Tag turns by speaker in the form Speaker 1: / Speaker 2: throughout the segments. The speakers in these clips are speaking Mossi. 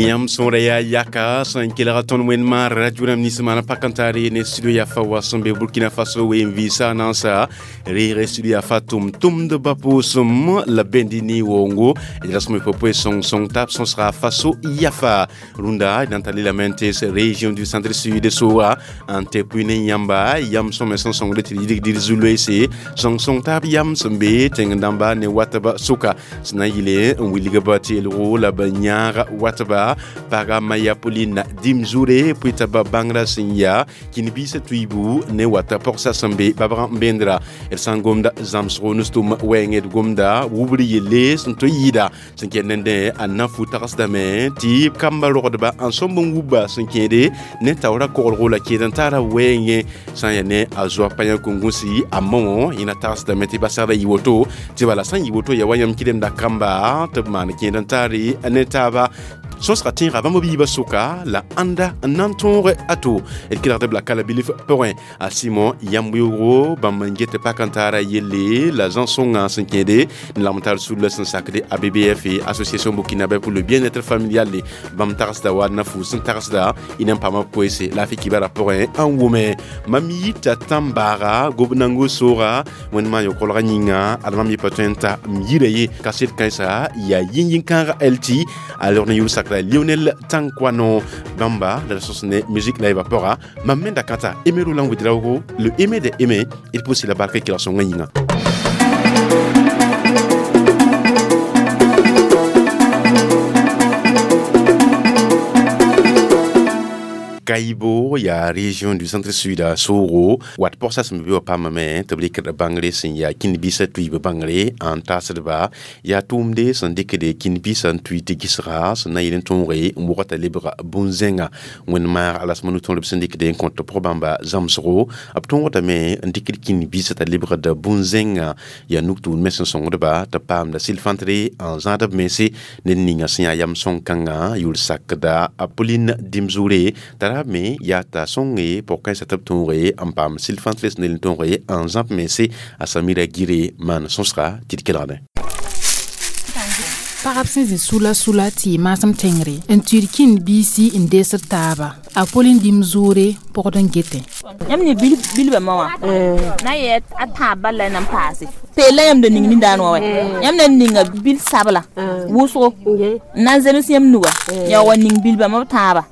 Speaker 1: Yãmb sõora yaa yaka sẽn kelg tõnd wẽnd-maarã radio rãmb nins maan pak n taar ne studio yafa wa sẽn be Burkina Faso ween vɩɩsa nansa reeg studio yafa tʋm-tʋmdbã pʋʋsem la bẽndi ne woongo d rasem poe sõng-sõng tab sõsga Faso yafa rũndã d na n tar lelame n tees région du centre sud soga n tɩ pʋɩ ne yãmba yam sõme sẽn sõngd tɩ d yidg dɩd zu-loeese sõng-sõng taab yam sẽn be tẽng dãmba ne watba sʋka sẽn na n yɩle n wilgba teelgo la b yãag watba paga maya Pauline Dimzoure pʋɩta ba bãngrã sẽn yaa kĩn-biisã tuiibu ne wata pɔgsa sẽn be babg n bendra d sã n gomda zãmsgo nustum wɛɛngẽ d gomda wubr yelle sẽn tõe n yɩɩda sẽn kẽed nendẽ a na fu tagsdame tɩ kamba rogdba n sõmb n wubba sẽn kẽede ne taoora koglgo la kẽed n taara wɛɛngẽ sã n yaa ne a zoa payã kũngũsi a mao yẽna tagsdame tɩ basgda yɩ woto tɩ bala sã n yɩ woto yaa wa yãmb kɩremda kamba tɩ b maan kẽed n taare ne taaba sõsga tẽega bãmb b yiibã sʋka la ãnda n na n tõog a to d kelgd b la kala bilf pʋgẽ a Simon yãmb weoogo bãmb n get pak n taara yelle la zãn-sõngã sẽn kẽede n lagm tar sulla sẽn sakde ABBF Association burkinabé pour le bien-être familial bãmb tagsda wa na fu sẽn tagsda y na n paama koeese laafɩ kibara pʋgẽ n wʋme mam yita tãn-baaga gob-nango sooga wẽnd-maan yo-kolgã yĩnga ad mam yɩ pa tõe n ta m yira ye kaset kãensa yaa yĩn-yĩn-kãaga LT a log ne yʋl sakra Lionel Tankwano Bamba la sauce ne musique live pora mam menda kata Aimé Roland Ouedraogo le aimé des aimés il pousse la barque qui la son yinga. Kaibo ya région du centre-sud a Soro wat pɔgsa sẽn be wa paamame tɩ b rɩkd bãngre sẽn yaa kĩn-biisã tʋɩɩb bãngre n taasdba yaa tʋʋmde sẽn dɩkde kĩn-biisã n tʋɩ tɩ gɩsga sẽn na n yɩl n tõoge n wogta lebga bũn-zẽnga wẽnd-maag alasma nu-tõodb sẽn dɩkde n kõt pʋg-bãmba zãmsgo b tõogdame n dɩkd kĩn-biisã t'a lebgd bũn-zẽnga yaa nug-tʋʋd me sẽn sõngdba tɩ paamda sɩl-fãntre n zãad b mense ned ninga sẽn yaa yam sõng-kãngã yʋl sakda a Pauline Dimzoure t'a ra me yaa t'a sõnge pɔg-kãensã tɩ b tõoge n paam sɩl-fãntre sẽn n tõoge n zãb mense a Samira Gire maan sõsga tɩ d kelgdẽ.
Speaker 2: Pagb sẽn zĩ sula sula tɩ y maasem tẽngre n tuid kĩn-biisi n deesd taaba a Pauline Dimzoure pɔgd n getẽ.
Speaker 3: Yãmb ne bilbã ma wã na yɛ a tãab bal la y na n paase peel la yãmb da ning nindaan wã wɛ yãmb na n ninga bil sabla wʋsgo n na n zems yãmb nuga ya wa ning bilbã ma b tãaba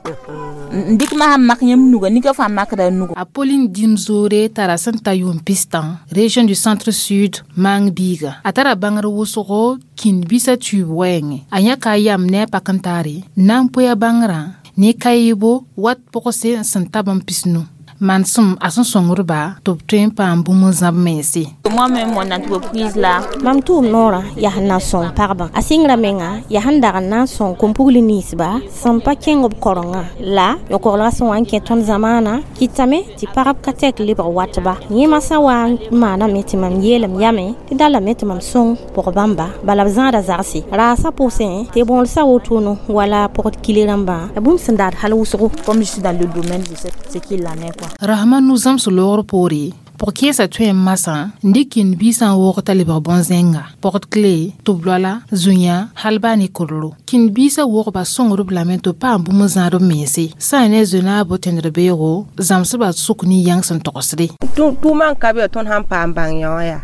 Speaker 3: n dɩk ma sãn mak yãmb nuga nika fãa makda a nugu.
Speaker 2: A Pauline Dimzoure tara sẽn ta yʋʋm pistã région du centre sud maang biiga a tara bãngr wʋsgo kĩn-biisã tuiib wɛɛngẽ a yãka a yam ne a pak n taare n na n poe a bãngrã ne kaɩɩbo wat pʋgse sẽn ta bãmb pisnu mansem a sẽn sõngdba tɩ b tõe n paam bũmb n zãb mense.
Speaker 3: Moi-même, mon entreprise là.
Speaker 4: Mam tʋʋm noorã yaa sẽn na n sõng pagba a sɩngrã menga yaa sẽn dag n na n sõng kom-pugl ninsba sẽn pa kẽng b korengã la yõ-koglgã sẽn wa n kẽ tõnd zamaanã kɩtame tɩ pagb ka tɛk lebg watba yẽmã sã wa n maaname tɩ mam yeelem yame tɩ dalame tɩ mam sõng pʋg bãmba bala b zãada zagse raasã pʋsẽ tɩ bõolsã wotono wala pɔgd kile rãmbã bũmb sẽn daad hal wʋsgo.
Speaker 3: Comme je suis dans le domaine, je sais ce qu'il en est quoi.
Speaker 2: Rahma nu zãms loogr poore pʋg-kẽesã tõe n masã n dɩk kĩn-biisã n woog t'a lebg bõn-zẽnga pɔgd kle tʋb-loala zũyã hal baa ne kodro kĩn-biisã wogba sõngdb lame tɩ b paam bũmb n zãad b mense sã n ne zoe-naabo tẽndr beoogo zãmsbã sʋk ne yãng sẽn togsde.
Speaker 5: Tʋʋmã n ka be tõnd sãn paam bãng yã wã yaa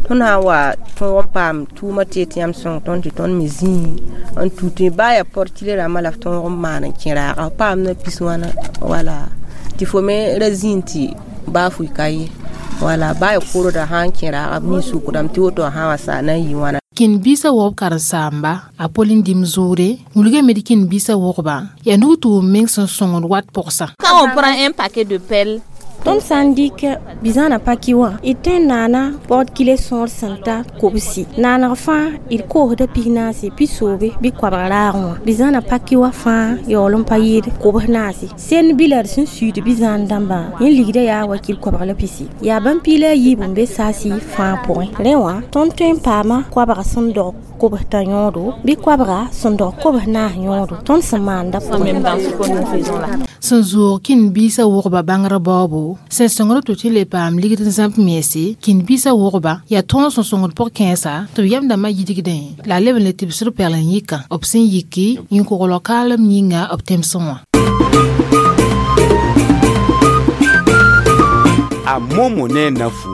Speaker 5: tõnd sã n wa tõog n paam tʋʋmã tɩ tɩ yãmb sõng tõnd tɩ tõnd me zĩi n tu tɩ baa yaa pɔrtile rãmbã la f tõog n maan n kẽ raaga f paam na pis wãna wala tɩ fo me ra zĩig tɩ baa fʋɩ ka ye wala baa yaa korda sã n kẽ raaga b mi sukdame tɩ woto sã wa sa na n yɩ wãna.
Speaker 2: Kĩn-biisã wogb karen-saamba a Pauline Dimzoure wilgame tɩ kĩn-biisã wogba yaa nug-tʋʋm meng sẽn sõngd wat pʋgsa.
Speaker 3: Quand on prend un paquet de pelles,
Speaker 4: Tõnd sã n dɩk bizãana paki wã d tõe n naana paood kile sõor sẽn ta kobsi naaneg fãa d koosda pis-naase pi-soobe bɩ koabg raagẽ wã bizãana paki wã fãa yaool n pa yɩɩd kobs naase send bila d sẽn suud bizãan dãmbã yẽ ligda yaa wa kil koabg la pisi yaa bãmb piila a yiib n be saasi fãa pʋgẽ rẽ wã tõnd tõe n paama koabg sẽn dog kobs tã yõodo bɩ koabga sẽn dog kobs naas yõodo tõnd sẽn maanda
Speaker 3: même dans ce que nous faisons là.
Speaker 2: Sẽn zoog kĩn-biisã wʋgba bãngrã baoobo, sẽn sõngd tɩ tɩ le paam ligd n zãmb mense, kĩn-biisã wʋgba yaa tõog sẽn sõngd pʋg-kãensã tɩ b yam dãmbã yidgdẽ la a leb n le tɩbsd pɛgl n yikã b sẽn yiki yĩn-koglg kaalem yĩnga b tẽmsẽ wã.
Speaker 1: A Momo ne nafu.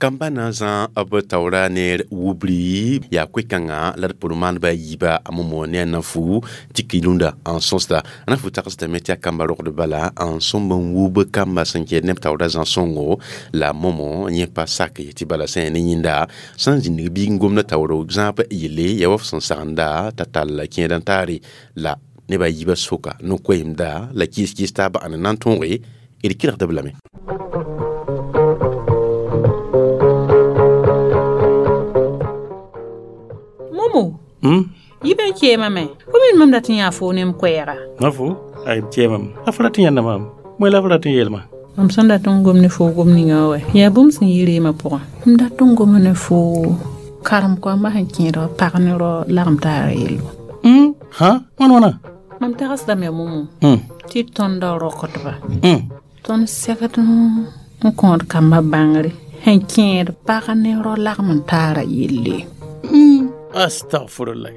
Speaker 1: Kamba na zã b taoora neer wubri yaa koe-kãngã la d pʋr maandbã a yiiba a Momo ne a nafu tɩ kilunda n sõsda. A nafu tagsdame tɩ yaa kamba rogd bala n sõmb n wub kamba sẽn kɛɛd neb taoora zã-sõngo la Momo yẽ pa sak tɩ bala sẽn yaa ne yẽnda sã n zĩnig biig n gomda taoor zãab yelle yaa wa f sẽn sagenda t'a tall kẽed n taare la neb a yiibã soka no-koɛɛmda la kɩɩs-kɩɩs taabã ãn n na n tõoge d kelgd b lame.
Speaker 2: Momo, yibe keema me fo min mam dat n yaa fo ne m koɛɛga.
Speaker 6: Nafu, ay keemam. A fo rat n yãnda maam. Moe la fo rat n yeelma.
Speaker 2: Mam sẽn dat n gom ne fo gom ninga wɛ yaa bũmb sẽn yi reemã pʋgã. M dat n goma ne fo karem koambã sẽn kẽedg pag ne rao lagem taara yello.
Speaker 6: Ha, wãn wãna?
Speaker 2: Mam tagsdame Momo tɩ tõndã rokdba. Tõnd segd n kõod kambã bãngre sẽn kẽed pag ne rao lagem n taara yelle.
Speaker 6: Astagfirullah.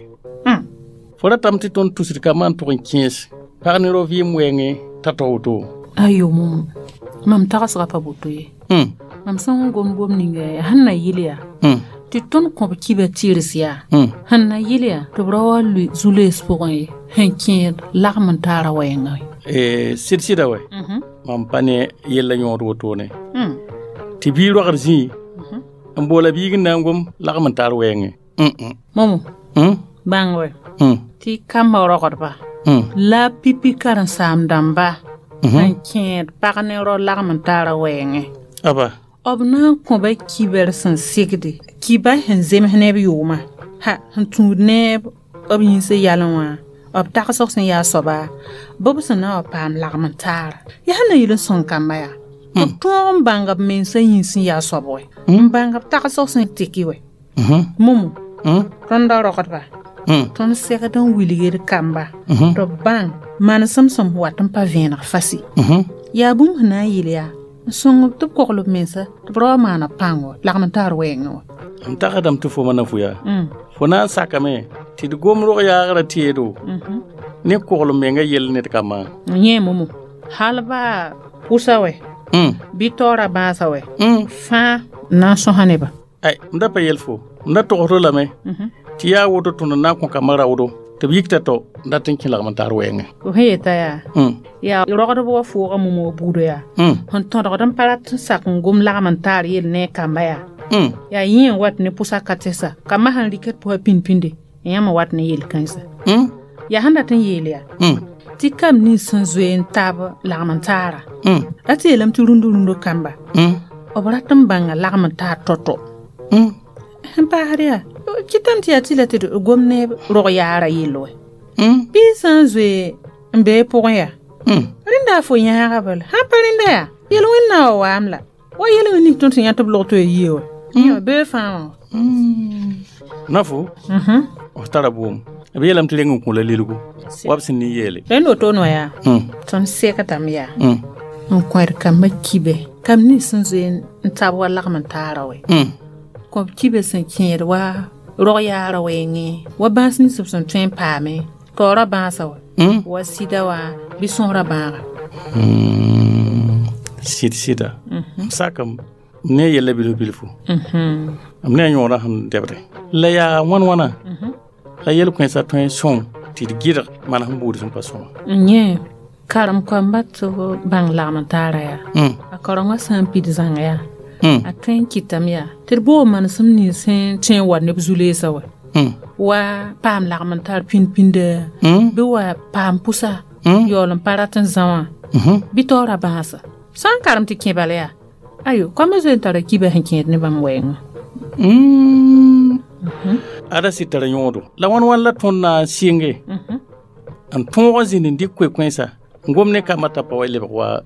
Speaker 6: Fo ratame tɩ tõnd tusd kambã n tʋg n kẽes pag ne rao vɩɩm wɛɛngẽ t'a tao woto.
Speaker 2: Ayo Momo, mam tagsga pa boto ye. Mam sẽn gom gom ninga yaa sẽn na yɩl yaa tɩ tõnd kõb kibã tɩrs yaa sẽn na yɩl yaa tɩ b ra wa lʋɩ zu-loees pʋgẽ ye sẽn kẽed lagem n taara wɛɛngã.
Speaker 6: Sɩd-sɩda wɛ mam pa ne yella yõod wotone tɩ bii rogd zĩig n boola biig n na n gom lagem n taar wɛɛngẽ.
Speaker 2: Momo, bãng wɛ tɩ kambã rogdba la pipi karen-saam dãmba n kẽed pag ne rao lagem n taara wɛɛngẽ.
Speaker 6: Aba.
Speaker 2: B na n kõba kibar sẽn segde kiba sẽn zems neb yʋʋmã ha sẽn tũud neb b yĩnsã yalẽ wã b tagsg sẽn yaa soaba bɩ b sẽn na wa paam lagem n taara. Yaa sẽn na yɩl n sõng kamba yaa b tõog n bãnga b mensã yĩns sẽn yaa soab wɛ n bãnga b tagsg sẽn teki wɛ. Momo, tõndã rogdba tõnd segd n wilgd kamba tɩ b bãng manesem sẽn wat n pa vẽeneg fasi. Yaa bũmb sẽn na n yɩl yaa n sõng tɩ b kogl b mensa tɩ b ra wa maana pãngo lagem n taar wɛɛngẽ wã.
Speaker 6: M tagsdame tɩ fo ma nafu yaa fo na n sakame tɩ d gom rog yaagrã teedo ne kogl menga yell ned kambã.
Speaker 2: Yẽ Momo, hal baa pʋsa wɛ bɩ taoora bãasa wɛ fãa n na n sõsa nebã.
Speaker 6: Ay, m da pa yel fo m da togsdo lame tɩ yaa woto tõnd n na n kõ kambã raoodo tɩ b yikta tao n dat n kẽ lagem n taar wɛɛngẽ.
Speaker 2: Fo sẽn yeta yaa yaa rogdb wa foogã Momo buudã yaa sẽn tõdgd n pa rat n sak n gom lagem n taar yell ne a kamba yaa yaa yẽ n wat ne pʋsa ka tɛsa kambã sẽn rɩkd pʋsa pĩnd-pĩnde yãmb wat ne yel-kãensã. Yaa sẽn dat n yeel yaa tɩ kam nins sẽn zoe n taab lagem n taara ra tɩ yeelame tɩ rũndo-rũndo kamba b rat n bãnga lagem n taar tao-tao. Sẽn paasd yaa kɩtame tɩ yaa tɩ la tɩ d gom ne rog yaara yell wɛ bɩ sã n zoe n bee pʋgẽ yaa rẽnda a fo yãaga bala sãn pa rẽnda yaa yel-wẽnna wa waam la wa yel-wẽn ning tõnd sẽn yã tɩ b log tɩ ya yie wɛ bee fãa wã.
Speaker 6: Nafu, f tara bʋʋm b yeelame tɩ reng n kõ la lilgu wa b sẽn ne yeele.
Speaker 2: Rẽnd wotone wã yaa tõnd segdame yaa n kõed kambã kibe kam nins sẽn zoe n tab wa lagem n taara wɛ kõb kibe sẽn kẽed wa rog yaara wɛɛngẽ wa bãas nins b sẽn tõe n paame taoora bãasa wɛ wa sɩda wã bɩ sõsrã bãaga.
Speaker 6: Sɩd-sɩda m sakam m ne yella bilf-bilfu m ne a yõodã sẽn dɛbde la yaa wãn-wãna la yel-kãensã tõe n sõng tɩ d gɩdg manesem buud sẽn pa sõma.
Speaker 2: Yẽ karem koambã tɩ b bãng lagem n taara yaa a kaorengã sã n pid zãnga yaa a tõe n kɩtame yaa tɩ d boog manesem nins sẽn tõe n wa neb zu-leesã wɛ wa paam lagem n tar pĩnd-pĩnda bɩ wa paam pʋsa yaool n pa rat n zã wã bɩ taoora bãasa sã n karem tɩ kẽ bala yaa ayo koambã zoe n tara kiba sẽn kẽed ne bãmb wɛɛngã.
Speaker 6: Ada sɩd tara yõodo la wãn-wãn la tõnd na n sɩnge n tõog n zĩnd n dɩk koe-kãensã n gom ne kambã t'a pa wa lebg wa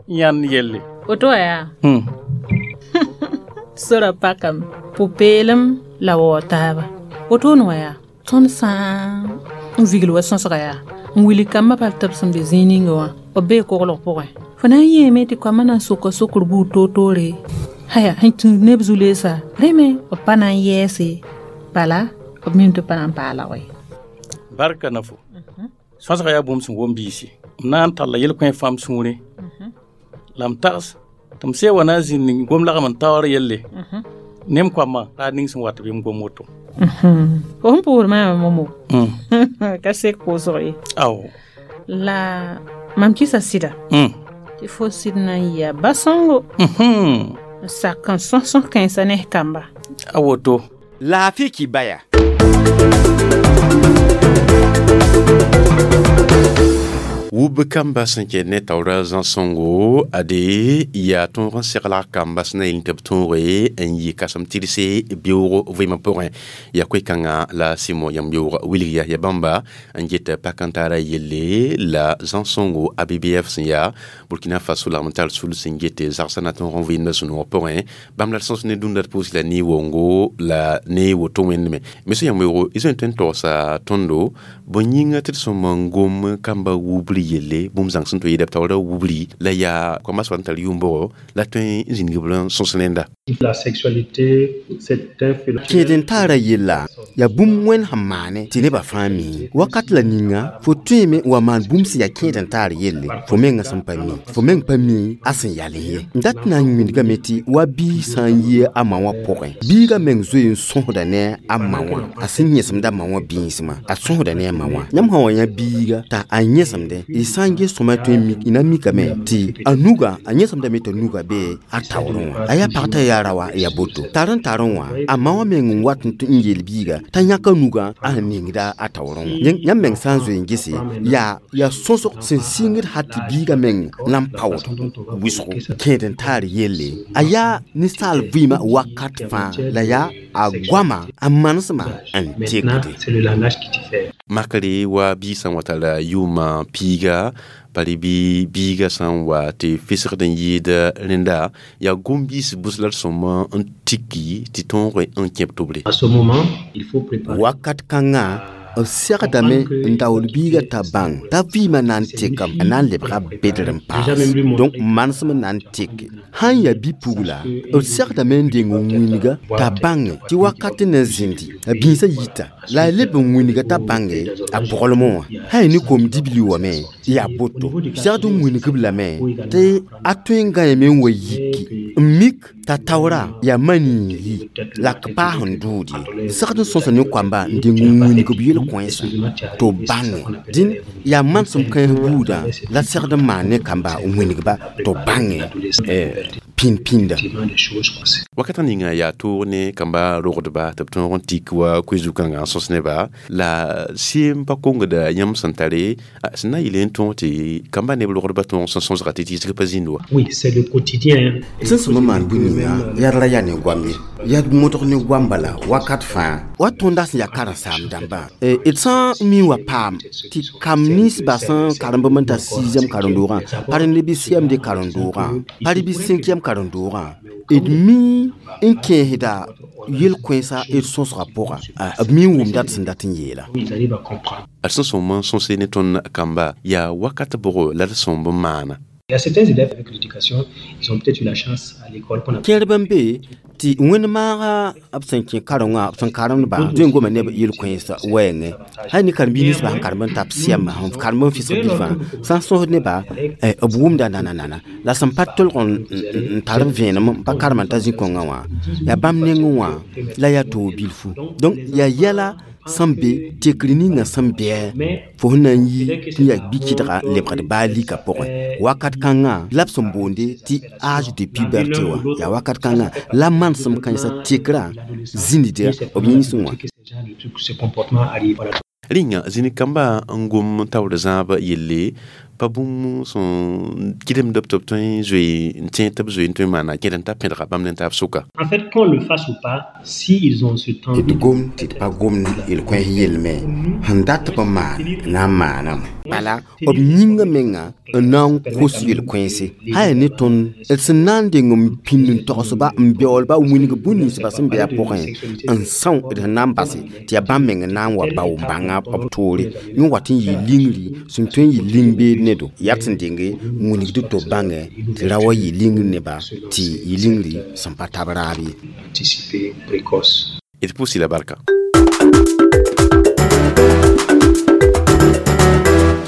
Speaker 6: yãnd yelle.
Speaker 2: Woto wa yaa sora pakame pʋ-peelem la waoog taaba wotone wã yaa tõnd sã n vigl wa sõsga yaa N wilg kambã pal tɩ b sẽn be zĩig ninga wã b bee koglg pʋgẽ fo na n yẽeme tɩ koamã na n soka sokr buud toor-toore haya sẽn tũ neb zu-leesa rẽ me b pa na n yɛɛse bala b mim tɩ pa na n paala ye.
Speaker 6: Barka na fo sõsga yaa bũmb sẽn wom biisi m na n talla yel-kõ fãa m sũurẽ la m tags tɩ m see wa na n zĩnd gom lagm n taoor yelle ne m koamã raad ning sẽn wat bɩ m gom woto.
Speaker 2: Fo sẽn pʋʋsd maamã momo ka sek pʋʋsg ye.
Speaker 6: Ao.
Speaker 2: La mam kɩsa sɩda tɩ fo sɩd na n yɩa ba-sõngo n sak n sõs-sõs kãensã ne kamba.
Speaker 6: A woto.
Speaker 7: Laafɩ kibaya.
Speaker 1: Wub kamba sẽn kẽ ne taoora zãsõngo ade yaa tõog n segl kamba sẽn na yel tɩ b tõoge n yɩ kãsem tɩrse beoogo vɩɩmã pʋgẽ yaa koe-kãngã la sɩmo yãmb yoog wilg ya bãmba n get pak n taara yelle la zãsõngo ABBF sẽn yaa Burkina Faso lagm n tar sul sẽn get zagsã na tõog n vɩɩmda sũ-noog pʋgẽ bãmb la d sõs ne dũnda d pʋʋs la ne wongo la ne woto wẽndme me sẽn yãmb yoogo y zoe tõe n togsa tõndo bõe yĩnga tɩ d sõm n gom kamba wubri yelle bũmb zãng sẽn tõe yɩɩda b taoora wubri la yaa koambã soab n tar yʋʋm-bʋgo la tõe n zĩnig b n sõs rẽnda.
Speaker 8: La sexualité, c'est un phénomène.
Speaker 7: Kẽed n taara yella yaa bũmb wẽnd sẽn maane tɩ nebã fãa mi wakat la ninga fo tõeme n wa maan bũmb sẽn yaa kẽed n taar yelle fo mengã sẽn pa mi fo meng pa mi a sẽn yalẽ ye n dat na n wĩndgame tɩ wa biig sã n yɩ a ma wã pʋgẽ biigã meng zoe n sõsda ne a ma wã a sẽn yẽsemda ma wã bĩismã a sõsda ne a ma wã yãmb sã wa yã biiga t'a a yẽsemdẽ y sã n ges sõma tõe n mik y na mikame tɩ a nuga a yẽsemdame t'a nuga bee a taoorẽ wã a yaa pag t'a yaa ra wã yaa boto tar n tar wã a ma wã meng n wat n yeel biiga t'a yãka nugã a sẽn ningda a taoorẽ wã yãmb meng sã n zoe n gese yaa sõsg sẽn sɩngd hal tɩ biigã meng na n paood wɩsgo kẽed n taar yelle a yaa ninsaal vɩɩmã wakat fãa la yaa a goama a manesmã n
Speaker 8: Maintenant,
Speaker 7: tekde.
Speaker 8: c'est le langage qui diffère.
Speaker 1: Makre wa biig sã n wa tara yʋʋmã piiga bari bɩ biiga sã n wa tɩ fɩsgd n yɩɩd rẽnda yaa gom-biis bʋs la d sõm n tiki tɩ tõog n kẽ b tʋbre.
Speaker 8: À ce moment, il faut préparer.
Speaker 7: Wakat kãngã b segdame n daool biigã t'a bãng t'a vɩɩmã na n tekame a na n lebga bedr n paas donc manesem n na n teke sãn yaa bi-pugla b segdame n deng n wĩnga t'a bãnge tɩ wakat n na zĩndi a bĩisã yita la a leb n wĩnga t'a bãnge a pʋglmẽ wã sã yaa ne kom-dibli wame yaa boto segd n wĩnг-b lame tɩ a tõe n gãeme n wa yiki n mik t'a taoora yaa ma-niig yi la k paas n dʋʋd ye segd n sõsa ne koamba n deng n wĩng b yel-kõensã tɩ b bãnge dĩn yaa manesem kãens buudã la segd n maan ne kamba n wĩneg-ba tɩ b bãnge pĩnd-pĩnda.
Speaker 8: Effectivement, des choses comme ça.
Speaker 1: Wakata ninga yaa toog ne kamba rogdba tɩ b tõog n tik wa koe-zu-kãngã n sõs neba la sɩem pa kongda yãmb sẽn tare sẽn na n yɩl n tõog tɩ kamba neb rogdba tõog sẽn sõsga tɩ tɩɩsg pa zĩnd wa.
Speaker 8: Oui, c'est le quotidien.
Speaker 7: Sẽn sõm n maan bũ-ninga yaa ra yaa ne goam ye yaa modg ne goam bala wakat fãa wa tõnda sẽn yaa karen-saam dãmbã d sã n mi wa paam tɩ kam ninsbã sẽn karemb n ta 6e karen-doogã pa rẽnd bɩ CMD karen-doogã pa rẽ bɩ 5e karen-doogã d mi n kẽesda yel-kõensã d sõsgã pʋga b mi n wʋmda d sẽn dat n yeela.
Speaker 8: Ils arrivent à comprendre.
Speaker 1: D sẽn sõm n sõse ne tõnd kamba yaa wakat bʋgo la d sõmb n maana.
Speaker 8: Il y a certains élèves avec l'éducation, ils ont peut-être eu la chance à l'école qu'on a
Speaker 7: Kẽerb n be tɩ wẽnd maaga b sẽn kẽ karengã b sẽn karemdbã tõe n goma neb yel-kõensã wɛɛngẽ sã ne karen-biig ninsbã sẽn karem n ta b sɛmba sẽn karem n fɩsg bilfã sã n sõsd nebã b wʋmda nana-nana la sẽn pa tolg n tar b vẽenem n pa karem n ta zĩ-kõngã wã yaa bãmb nengẽ wã la yaa toog bilfu donc yaa yɛla sẽn be tekr ninga sẽn bɩ fo sẽn na n yi tɩ yaa bi-kɩdga n lebgd baa lika pʋgẽ wakat kãngã la b sẽn boonde tɩ âge de puberté wã yaa wakat kãngã la manesem kãensã tekrã zĩnida b yĩnsẽ wã.
Speaker 8: Ce genre de truc, ce comportement arrive. Voilà.
Speaker 1: Rĩnga zĩnig kamba n gom taoor zãab yelle pa bũmb sẽn kɩdemd b tɩ b tõe n zoe n tẽ tɩ b zoe n tõe n maana kẽd n ta pẽdga bãmb ne taab sʋka.
Speaker 8: En fait, qu'on le fasse ou pas, si ils ont ce temps
Speaker 7: D gom tɩ d pa gomd yel-kões yelme sẽn dat b n maan na n maaname. Bala b yĩngã menga n na n kos yel-kõense sã yaa ne tõnd d sẽn na n deng n pĩnd n togsba n beoolba wĩneg bũn-ninsba sẽn be a pʋgẽ n são d sẽn na n base tɩ yaa bãmb meng n na n wa bao n bãnga b toore. Yẽ wat n yɩ lingri sẽn tõe n yɩ ling-beed nedo yaa sẽn denge wĩnigd tɩ b bãngẽ tɩ ra wa yɩ lingr neba tɩ yɩ lingri sẽn pa tab raab ye.
Speaker 1: D pʋʋs la barka.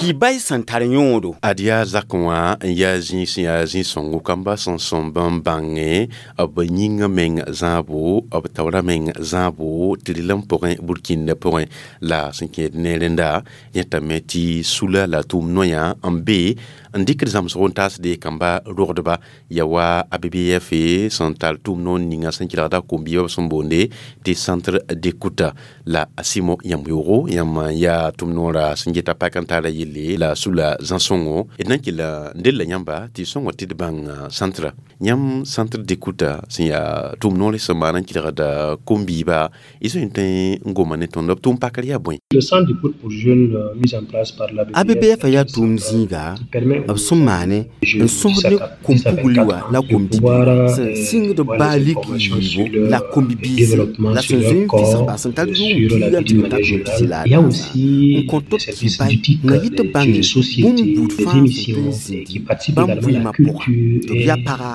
Speaker 7: Tɩ bay sẽn tar yõodo.
Speaker 1: Ad yaa zak wã n yaa zĩig sẽn yaa zĩ-sõngo kamba sẽn sõmb n bãnge b yĩngã meng zãabo b taoorã meng zãabo tɩ rɩl n pʋgẽ burkĩndã pʋgẽ la sẽn kẽed ne rẽnda yẽtame tɩ sula la tʋʋm noyã n be n dɩkd zãmsg n taasde kamba rogdba ya wa ABBF sẽn tar tʋʋm noor ninga sẽn kelgda kom-biibã b sẽn boonde tɩ centre d'écoute la a sɩmo yãmb yoogo yãmb yaa tʋʋm noorã sẽn geta pak n taara yelle la sula zã-sõngo d na n kell n del la yãmba tɩ sõngo tɩ d bãng centre yãmb centre d'écoute sẽn yaa tʋʋm noor sẽn maan n kelgda kom-biiba y zoe n tõe n goma ne tõnd b tʋʋm pakr yaa bõe.
Speaker 8: Le centre d'écoute pour jeunes mis en place par l'ABBF
Speaker 7: ABBF yaa tʋʋm zĩiga b sẽn maane n sõsd ne kom-pugli wã la kom-bibi sẽn sɩngd baa lik yiibu la kom-bibiisi la sẽn zoe n fɩsgba sẽn tar yʋʋm piiga n tɩ n tar yʋʋm pisi la a naasa n kõ tɩ b kɩ bay na yɩ tɩ bãnge bũmb buud fãa sẽn tõe n zĩndi bãmb vɩɩmã pʋga tɩ b yaa paga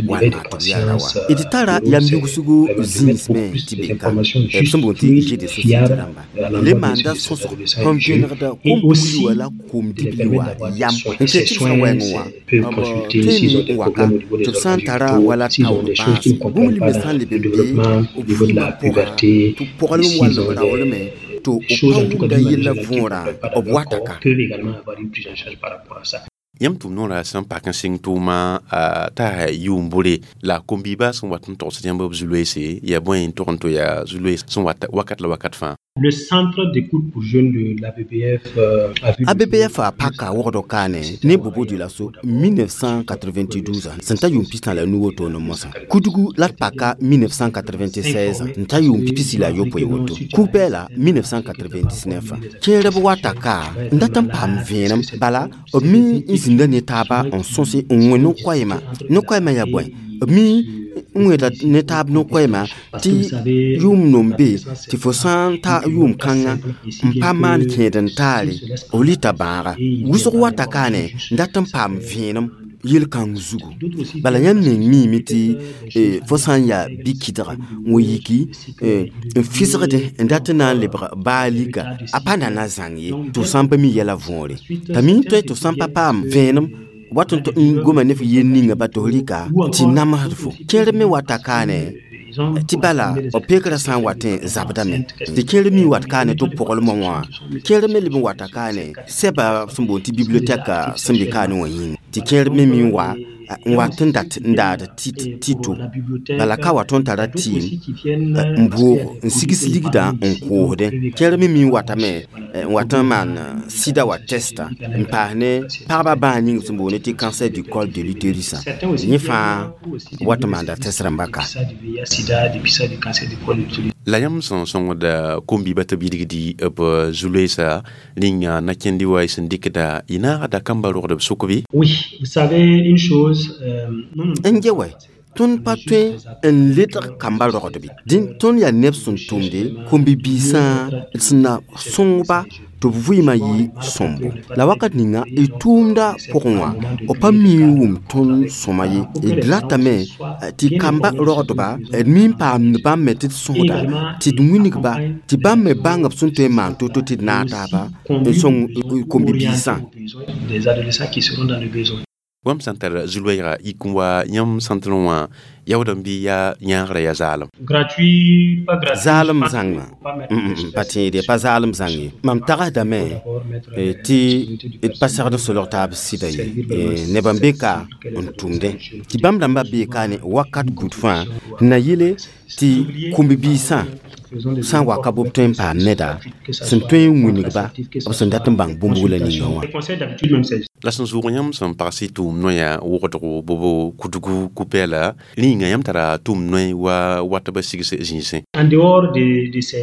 Speaker 7: wãnna tɩ b yaa ra wa d tara yam yugsgo zĩis me tɩ be ka b sẽn boond tɩ g de société rãmba le maanda sõsg sẽn vẽnegda kom-pugli wã la kom-dibli wã yam n kẽ tɩ b sã wɛɛngẽ wã b tõeme n waka tɩ b sã n tara wala taoor bãase bũmb limbe sã n leb n be b vɩɩmã pʋga tɩ b pɔglem wall b raoolme tɩ b pa wʋmda yellã võorã b wata ka.
Speaker 1: Yãmb tʋʋm noorã sẽn pak n sɩng tʋʋma t'a yʋʋm bʋre la kom-biibã sẽn wat n togsd yãmb b zu-loeese yaa bõe n tog n to yaa zu-loees sẽn wat wakat la wakat fãa.
Speaker 8: Le centre d'écoute pour jeunes de l'ABBF a vu
Speaker 7: ABBF a paka wogdo kaane ne bobo diola so 1992 sẽn ta yʋʋm pistã la nu woto ne mosã kudgu la d paka 1996 n ta yʋʋm pisi la yopoe woto kug-pɛɛla 1999 kẽerb wata ka n dat n paam vẽenem bala b mi n zĩnda ne taaba n sõse n wẽ no-koɛɛmã no-koɛɛmã yaa bõe b mi n wẽeda ne taab no-koɛɛmã tɩ yʋʋm nom be tɩ fo sã n ta yʋʋm kãngã n pa maan kẽed n taare b lita bãaga wʋsg wata kaane n dat n paam vẽenem yel-kãng zugu bala yãmb meng miime tɩ fo sã n yaa bi-kɩdga n wa yiki n fɩsgdẽ n dat n na n lebg baa lika a pa nana zãng ye tɩ f sã n pa mi yɛla võore t'a mi n tõe tɩ f sã n pa paam vẽenem wat n goma ne f yel ninga ba tɩ f rɩka tɩ namsd fo kẽer me wata kaane tɩ bala b pekrã sã n watẽ zabdame tɩ kẽer mi wat kaane tɩ b pʋglmã wã kẽer me leb n wata kaane sɛba sẽn boond tɩ bibliotɛka sẽn be kaane wã yĩnga tɩ kẽer me mi n wa n wat n dat n daad tɩto bala ka wa tõnd tara tɩɩm n boog n sigs ligdã n koosdẽ kẽer me mi n watame n wat n maan sida wa tɛsta n paas ne pagba bãas ning sẽn boonde tɩ cancer du col de l'utérus yẽ fãa wat n maanda tɛs rãmba ka.
Speaker 1: La yãmb sẽn sõngda kom-biibã tɩ b yidgdi b zu-loeesa rĩnga na-kẽndi wa y sẽn dɩkda y naagda kamba rogd b sʋk bɩ?
Speaker 8: Oui, vous savez une chose,
Speaker 7: n ge wɛ tõnd pa tõe n ledg kamba rogdbe dẽn tõnd yaa neb sẽn tʋmde kom-bi-biisã sẽn na sõngba tɩ b vɩɩmã yɩ sõmbo la wakat ninga y tʋʋmda pʋgẽ wã b pa mi n wʋm tõnd sõma ye d ratame tɩ kamba rogdba d mi n paamd bãmb me tɩ d sõsda tɩ d wingba tɩ bãmb me bãng b sẽn tõe n maan to-to tɩ d naag taaba n sõng kom-bi-biisã.
Speaker 8: Des adolescents qui seront dans le besoin.
Speaker 1: Wãmb sã n tar zu-loɛɛga yik n wa yãmb sãntr wã yaood n bɩ yaa yãagrã yaa zaalem.
Speaker 8: Gratuit, pas gratuit.
Speaker 7: Zaalem zãnga pa tẽede pa zaalem zãng ye mam tagsdame tɩ d pa segd n solg taab sɩda ye neb n be ka n tʋmdẽ tɩ bãmb rãmbã bee kaane wakat bud fãa n na yele tɩ kom-biisã Sã n wa ka b tõe n paam neda sẽn tõe n wilgba b sẽn dat n bãng bũmb wula ninga wã.
Speaker 1: La sẽn zʋʋg yãmb sẽn pags y tʋʋm noya wogdgo bobo kudgu ku-pɛɛla rĩnga yãmb tara tʋʋm noe wa watbã sigs zĩisẽ.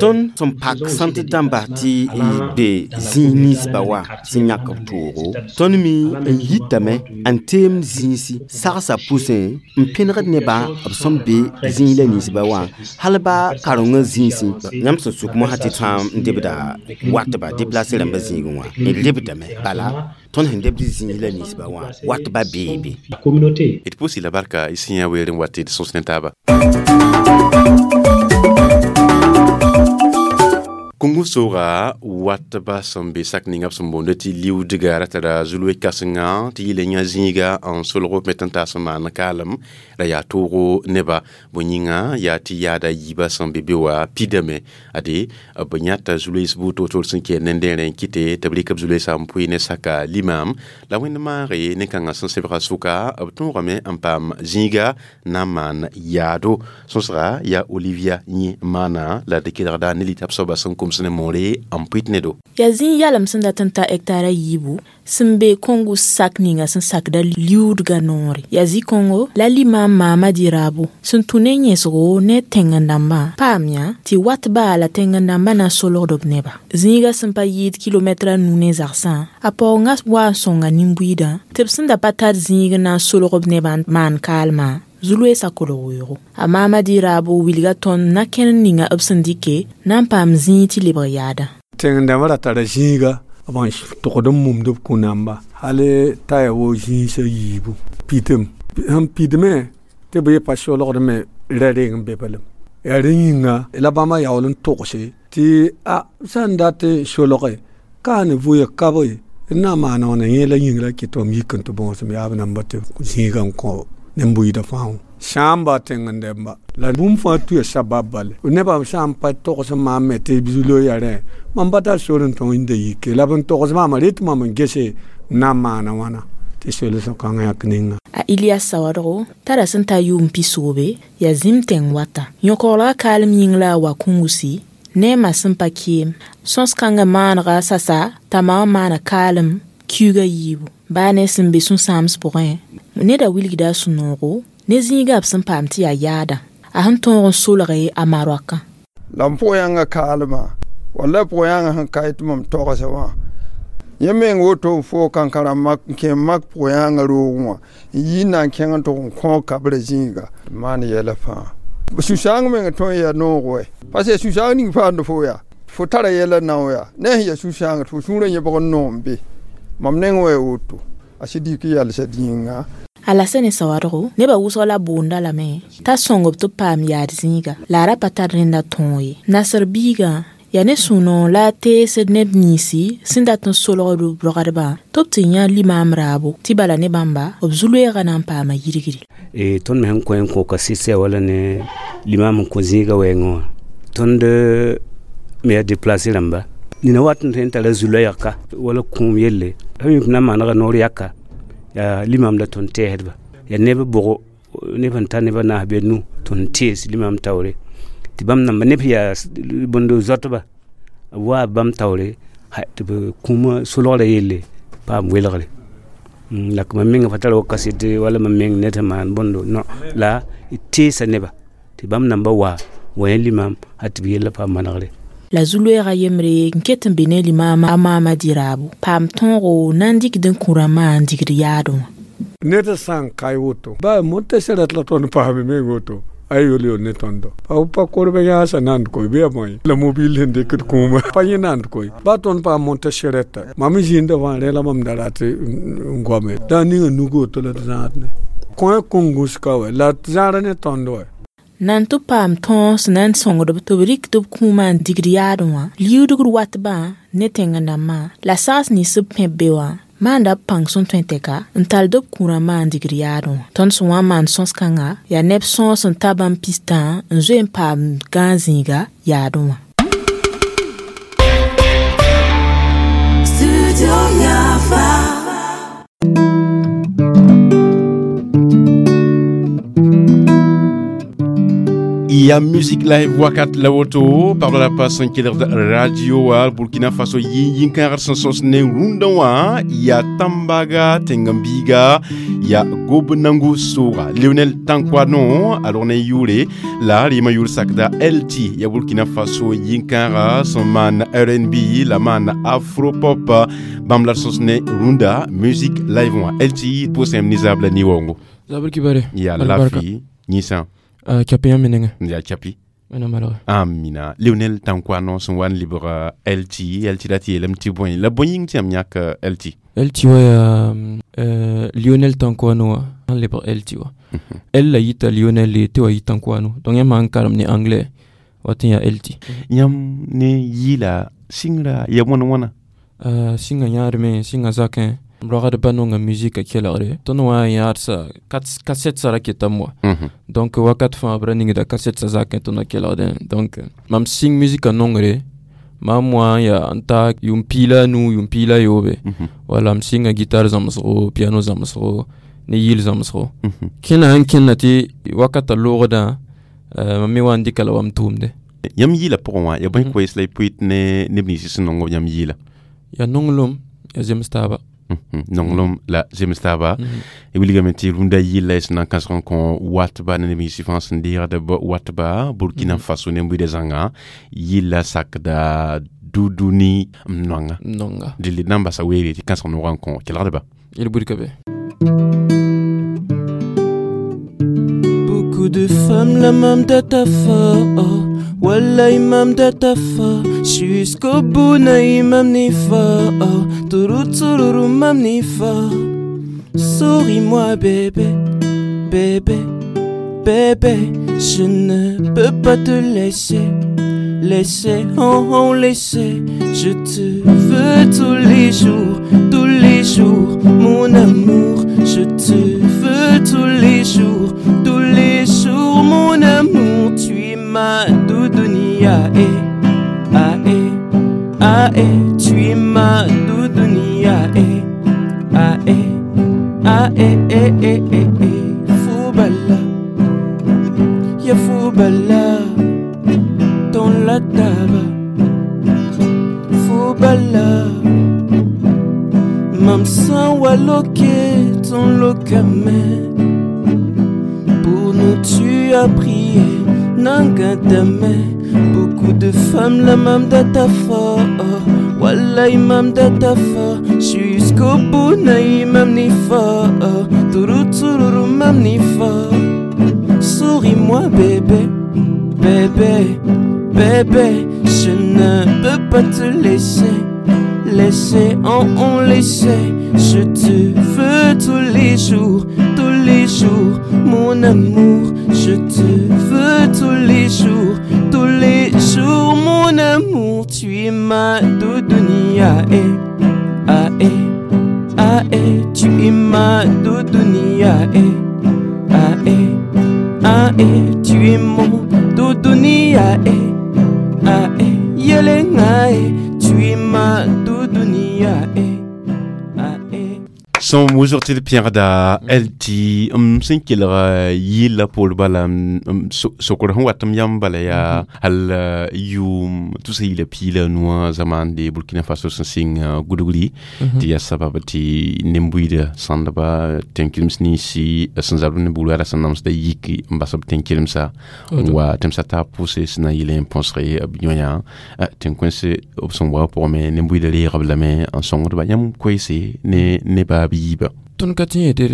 Speaker 7: Tõnd sẽn pak sãnt dãmba tɩ be zĩig ninsbã wa sẽn yãk b toogo, tõnd me n yitame n teemd zĩisi sagsa pʋsẽ n pẽnegd nebã b sẽn be zĩig la ninsbã wã hal ba karengã zĩisẽ. Yãmb sẽn suk mosã tɩ sã n debda watba déplacé rãmbã zĩigẽ wã n lebdame, bala tõnd sẽn debd zĩig la ninsbã wã watba bee be.
Speaker 1: D pʋʋs-y la barka y sẽn yã weer n wa tɩ d sõs ne taaba. Kongo sooga watba sẽn be sak ninga b sẽn boonda tɩ liudga ra tara zulwe kãsenga tɩ yɩla yã zĩiga n solg b me tɩ n taas n maan kaalem ra yaa toogo neba bõe yĩnga yaa tɩ yaada yiibã sẽn be be wã pidame ade b yãta zuloees buud toor-toor sẽn kɛɛr nendẽerẽ n kɩte tɩ b rɩk b zuloeesã n pʋɩ ne saka limam la wẽnd maage nin-kãngã sẽn sebga sʋka b tõogame n paam zĩiga na n maan yaado. Sõsga yaa Olivia yẽ maana la d kelgda ne lita b soaba sẽn koms ne moore n pʋɩt ne do.
Speaker 3: Yaa zĩig yalem sẽn dat n ta hectare a yiibu sẽn be Kongo sak ninga sẽn sakda liudga noore. Yaa zĩ-kõngo la limam Mamadi Rabo sẽn tũ ne yẽsgo ne tẽng-n-dãmbã paam yã tɩ watba la tẽng-n-dãmbã na n solgd b neba. Zĩiga sẽn pa yɩɩd kilomɛtra nu ne zagsã, a paoongã wa n sõnga nin-buiidã tɩ b sẽn da pa tar zĩig n na n solg b nebã n maan kaalmã zuloeesã kolg weoogo. A Mamadi Rabo wilga tõnd na-kẽnd ninga b sẽn dɩke na n paam zĩig tɩ lebg yaadã.
Speaker 9: Tẽng-dãmbã ra tara zĩiga b n togd n mumd b kũ-namba hal t'a yaa wo zĩisã yiibu pitem sẽn pidme tɩ b ye pa solgdme ra reng n be balem. Yaa rẽ yĩnga la bãmba yaool n togse tɩ a sã n dat solge ka ne vʋya kabe n na n maan wãna yẽ la yĩng la kɩt tɩ m yik n tɩ bõosem yaab namba tɩ zĩigã n kõ nin-buiidã fãa wã. Sãamba tẽng-n-dɛmba la bũmb fãa tuya sabab bale nebã sã n pa togs n maam me tɩ zulo yaa rẽ mam pa tar sor n tõng n da yike la b n togs maama rɩt mam n gese n na n maana wãna tɩ solsg kãngã yãk ninga.
Speaker 3: A Ilias Sawadgo tara sẽn ta yʋʋm pisoobe yaa zĩm tẽng wata. Yõkoglga kaalem yĩng la a wa kũngusi ne a ma sẽn pa keem. Sõs-kãngã maanega sasa t'a ma wã maana kaalem kiuga yiibu. Baa ne sẽn be sũ-sãams pʋgẽ, neda wilgda a sũ-noogo ne zĩigã b sẽn paam tɩ yaa yaadã. A sẽn tõog n solge a maroakã.
Speaker 10: La m pʋgã yãnga kaalmã walla pʋgã yãnga sẽn ka tɩ mam togsa wã yẽ meng woto n foog kankãrã n kẽ mak pʋgã yãnga roogẽ wã n yi n na n kẽng n tʋg n kõog kabrã zĩiga maan yɛla fãa. Sũ-sãang meng tõe n yaa noog wɛ parce que sũ-sãang ning paamd fo yaa fo tara yɛla nao yaa ne sẽn yaa sũ-sãang tɩ fo sũurã yẽbg n noom be mam neng wa woto a sɩd yik yalsa dĩnga.
Speaker 3: Alasane Sawadgo nebã wʋsg la boonda lame t'a sõng b tɩ b paam yaad zĩiga la a ra pa tar rẽnda tõog ye. Nasr biigã yaa ne sũ-noog la a teesd neb ninsi sẽn dat n solgd b rogdbã tɩ b tɩ yã limaam raabo tɩ bala ne bãmba b zu-loeegã na n paama yirgri.
Speaker 11: Tõnd me sẽn kõ n kõka sɩsɛ wala ne limaam n kõ zĩigã wɛɛngẽ wã tõnd me yaa déplacé rãmba nina wat n tõe n tara zu-loɛɛgka wala kũum yelle sẽn yũp na n maanega noor yaka yaa limam la tõnd tɛɛsdba yaa neb bʋgo neb sẽn ta neb a naas bee nu tõnd tees limam taoore tɩ bãmb namba neb sẽn yaa bõndo zoatba b waa bãmb taoore tɩ b kũumã solgrã yelle paam welgre. La mam menga pa tara wa kaset wala mam meng ned sẽn maan bõndo no la d teesa neba tɩ bãmb namba wa wa yẽ limam a tɩ b yella paam manegre.
Speaker 3: La zu-loeegã yembre n ket n be ne limaamã a Mamadi Raabo paam tõogo na n dɩkd n kũ rãmbã n digd yaadẽ wã.
Speaker 9: Ned sã n ka woto ba montesɛra la tõnd paame meng woto a yol yol ne tõndo pa pa korba yãasa nand koy bɩ ya bõe la mobil sẽn dɩkd kũuma pa yẽ nand koy ba tõnd paam montesɛrɛta mam zĩnda fãa rẽ la mam da rat n goame da ninga nug woto la d zãad ne kõ kõngus ka wɛ la zãara ne tõnd wɛ.
Speaker 3: Na n tɩ paam tõog sẽn na n sõngd b tɩ b rɩk tɩ b kũumã n digd yaadẽ wã liudgr watbã ne tẽng-n-dãmbã la sags nins b pẽb be wã maanda b pãng sẽn tõe tɛka n tall b kũ-rãmbã n digd yaadẽ wã. Tõnd sẽn wa n maan sõs-kãnga yaa neb sõor sẽn ta bãmb pistã n zoe n paam gãag zĩiga yaadẽ wã.
Speaker 1: Ya musique live wakat la woto par la passe n kelgd radio wa Burkina Faso yĩn-yĩn-kãagd sẽn sõs ne rũndã wã ya Tambaga tẽng-n-biiga ya Gobnangu sooga Lionel Tankoano alors ne yʋʋre la rɩɩmã yʋʋr sakda LT ya Burkina Faso yĩn-kãaga sẽn maan R&B la maan afro pop bãmb la d sõs ne rũndã musique live wã. LT pʋʋsem ne zaab la ni-waoongo.
Speaker 12: Zabr kibare.
Speaker 1: Ya lafi yĩnsã.
Speaker 12: Chapi yãmb menenga.
Speaker 1: Ya chapi.
Speaker 12: Wẽnnaam malge.
Speaker 1: Amina. Lionel Tankoano sẽn wa n lebg LT, LT la tɩ yeelame tɩ bõe la bõe yĩng tɩ yãmb yãk LT?
Speaker 12: LT wa yaa Lionel Tankoano wã sẽn lebg LT wã. L la yita Lionel tɩ wa yɩ Tankoano, donc yãmb sãn karem ne anglais wa tɩ n yaa LT.
Speaker 1: Yãmb ne yɩɩla sɩngra ya wãna wãna?
Speaker 12: Sɩnga yãadme, sɩnga zakẽ, m roagd ba nonga musique kelgre tõnd wã yãadsa cassette sã ra ketame wa. Donc wakat fãa b ra ningda cassette sã zakẽ tõnd kelgdẽ. Donc mam sɩng musique nongre mam wã n yaa n ta yʋʋm 15, yʋʋm 13. Wala m sɩnga guitare zãmsgo, piano zãmsgo, ne yɩl zãmsgo. Kẽna sẽn kẽnna tɩ wakata loogdã, mam me wa n dɩka la wa m tʋʋmde.
Speaker 1: Yãmb yɩɩla pʋgẽ wã ya bõe koees la y pʋɩt ne neb nins sẽn nong b yãmb yɩɩla?
Speaker 12: Ya nonglem, ya zems taaba.
Speaker 1: Nonglem la zems taaba. Wilgame tɩ rũndã yɩlla y sẽn na n kãsg n kõ watba ne neb nins fãa sẽn deegd b watba Burkina Faso ne buida zãnga yɩlla sakda Duduni m noanga.
Speaker 12: Nonga.
Speaker 1: Dɩl d na n basa weere tɩ kãsg noogã n kõ kelgdba.
Speaker 12: Yel-buid ka be.
Speaker 13: Beaucoup de femmes la mam datafa, oh. Wallah imam datafa, jusqu'au bout na imam nifa, oh. Turu tururu mam nifa. Souris-moi bébé, bébé, bébé, je ne peux pas te laisser, laisser, oh, oh, laisser. Je te veux tous les jours, mon amour. Je te veux tous les jours, mon amour. Tu es ma doudouni, ah eh, ah eh, ah eh. Tu es ma doudouni, ah eh, ah eh, ah eh, eh, eh, eh, eh. Foubala, ya Foubala, dans la taba. Foubala, mam san waloke ton lokame. Pour nous tu as prié, nangadame. Beaucoup de femmes la mam datafa, oh. Wallah imam datafa, jusqu'au bout na imam nifa, oh. Turu tururu mam nifa. Souris-moi bébé, bébé, bébé, je ne peux pas te laisser, laisser, en on laisser. Je te veux tous les jours, mon amour. Je te veux tous les jours, mon amour. Tu es ma doudouni, ah eh, ah eh, ah eh. Tu es ma doudouni, ah eh, ah eh, ah eh. Tu es mon doudouni, ah eh, ah eh. Yelenga eh. Tu es ma doudouni, ah eh.
Speaker 1: Sõm wʋsg tɩ d pẽgda LT m sẽn kelg yɩlla poor bala sokr sẽn wat m yãmb bala yaa hal yʋʋm tusa yɩla 15 zamande Burkina Faso sẽn sɩng gudgri tɩ yaa sabab tɩ nen-buiida sãndba tẽn-kelms ninsi sẽn zabd ne buud wala sẽn namsda yik n bas b tẽn-kelmsa n wa tẽmsã taab pʋʋse sẽn na n yɩl n põsg b yõ-yã tẽn-kões b sẽn wa pʋgẽ nen-buiida reeg b lame n sõngdba yãmb koeese ne neba b yiibã.
Speaker 12: Tõnd ka tẽ yetɩ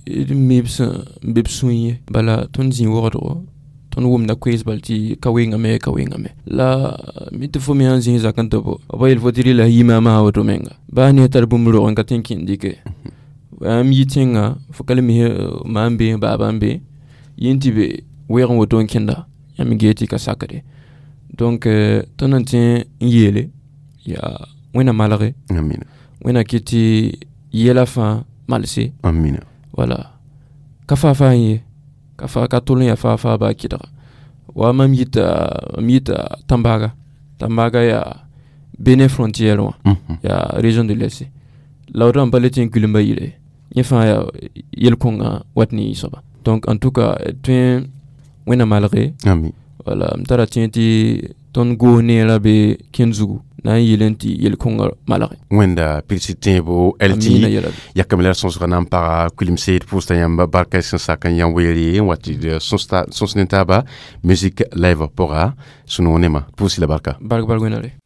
Speaker 12: d meeb sẽn be b sũy ye, bala tõnd zĩ wogdgo tõnd wʋmda koees bal tɩ ka wengame, ka wengame. La mi tɩ fo me sãn zĩ zak n tɩ bo b yel fo tɩ rɩla yimaamã sã woto menga baa ne tar bũmb rog n ka tẽ n kẽnd dɩke m yi tẽngã fo ka le mis ma n be baaba n be yẽ tɩ be weeg n woto n kẽnda yãmb gee tɩ ka sakre. Donc tõnd n tẽ n yeele yaa Wẽnna malge,
Speaker 1: amina,
Speaker 12: Wẽnna kɩ tɩ yɛla fãa malse.
Speaker 1: Amina.
Speaker 12: Wala ka faa-faa n ye ka fa ka tol n yaa faa-faa baa kɩdga wa mam yita Tambaga. Tambaga yaa Bénin frontière wã, yaa région de l'Est la woto n pa le tẽ n kulemba yɩle yẽ fãa yaa yel-kõngã wat ne yɩ soaba. Donc en tout cas tõe Wẽnna malge.
Speaker 1: Ami.
Speaker 12: Wala m tara tẽ tɩ tõnd goos neerã be kẽnd zugu na n yɩl n tɩ yel-kõngã malge.
Speaker 1: Wẽnda pilsi tẽebo lt yakame la sõsga na n paga kuilimse d pʋʋsda yãmb barka sẽn sak n yã weere n wa tɩ d sõs ne taaba musique live pʋga sũ-noog nema pʋʋsi la barka.
Speaker 12: Bark bark wẽnnaare.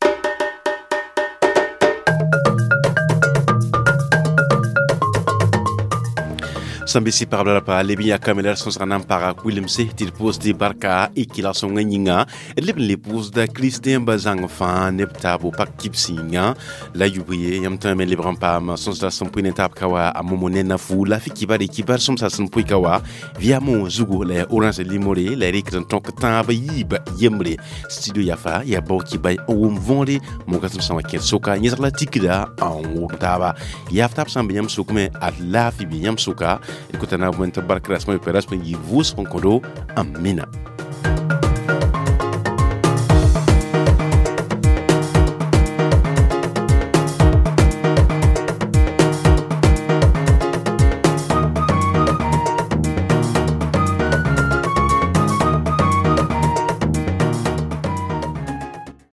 Speaker 1: Sẽn be sɩ pagb la pa leb n yakame la d sõsga na n paga kuilemse tɩ d pʋʋsdɩ barka y kɩlg-sõngã yĩnga d leb n le pʋʋsda kristɛ̃ba zãng fãa neb taabo pak kibs yĩnga la yub ye yãmb tõe me lebg n paam sõsda sẽn pʋɩ ne taab ka wa a momo ne nafu la fi kibare kibar sõmsa sẽn pʋɩ ka wa viamo zugu la ya orange limore la ya rɩkd n tõk tãab yiib yembre studio yafa ya bao kibay n wʋm võore mogasem sã wa kẽd soka yẽsg la tikda n wʋm taaba yaaf taab sã n be yãmb sʋkme ad laafɩ be yãmb sʋka d kota na bõe tɩ bark rasmã yopoe rasmã yɩ vʋʋsg n kõdo amina.